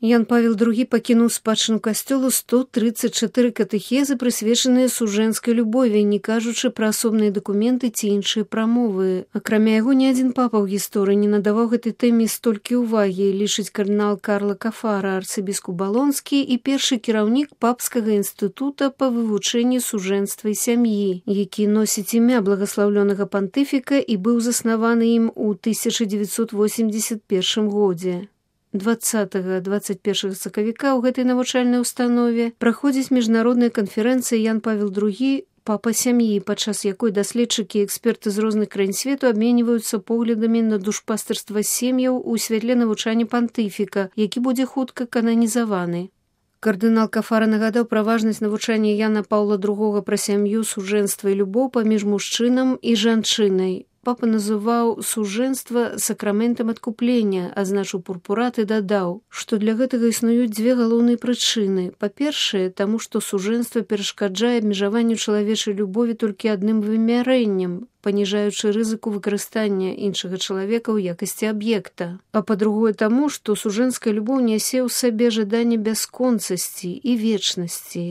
Ян Павел II пакінуў спадчыну касцёлу 134 катэхезы, прысвечаныя сужэнскай любові, не кажучы пра асобныя дакументы ці іншыя прамовы. Акрамя яго, ні адзін папа ў гісторыі не надаваў гэтай тэме столькі ўвагі, лічыць кардынал Карло Кафара, арцыбіскуп Балонскі і першы кіраўнік папскага інстытута па вывучэнні сужэнства і сям'і, які носіць імя благаслаўлёнага пантыфіка і быў заснаваны ім у 1981 годзе. 20-21 сакавіка ў гэтай навучальнай установе праходзіць міжнародная канферэнцыя Ян Павел II «Папа сям'і», падчас якой даследчыкі і эксперты з розных краін свету абменьваюцца поглядамі на душпастырства сем'яў у святле навучання пантыфіка, які будзе хутка кананізаваны. Кардынал Кафара нагадаў пра важнасць навучання Яна Паўла II пра сям'ю, сужэнства і любоў паміж мужчынам і жанчынай. Папа называў сужэнства сакраментам адкуплення, адзначыў пурпурат і дадаў, што для гэтага існуюць дзве галоўныя прычыны. Па-першае, таму што сужэнства перашкаджае абмежаванню чалавечай любові толькі адным вымярэннем, паніжаючы рызыку выкарыстання іншага чалавека ў якасці аб'екта. А па-другое таму, што сужэнская любоў нясе ў сабе жаданне бясконцасці і вечнасці.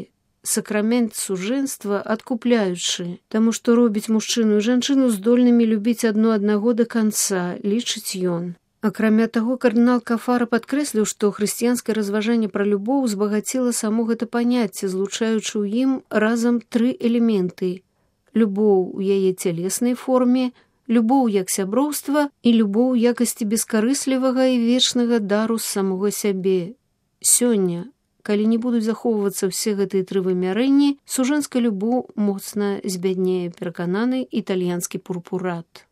Сакрамент сужэнства адкупляючы, таму што робіць мужчыну і жанчыну здольнымі любіць адно аднаго да канца, лічыць ён. Акрамя таго, кардынал Кафара падкрэсліў, што хрысціянскае разважанне пра любоў збагаціла само гэта паняцце, злучаючы ў ім разам тры элементы: любоў у яе цялеснай форме, любоў як сяброўства і любоў у якасці бескарыслівага і вечнага дару з самога сябе. Сёння, калі не будуць захоўвацца ўсе гэтыя тры вымярэнні, сужэнская любоў моцна збяднее, перакананы італьянскі пурпурат.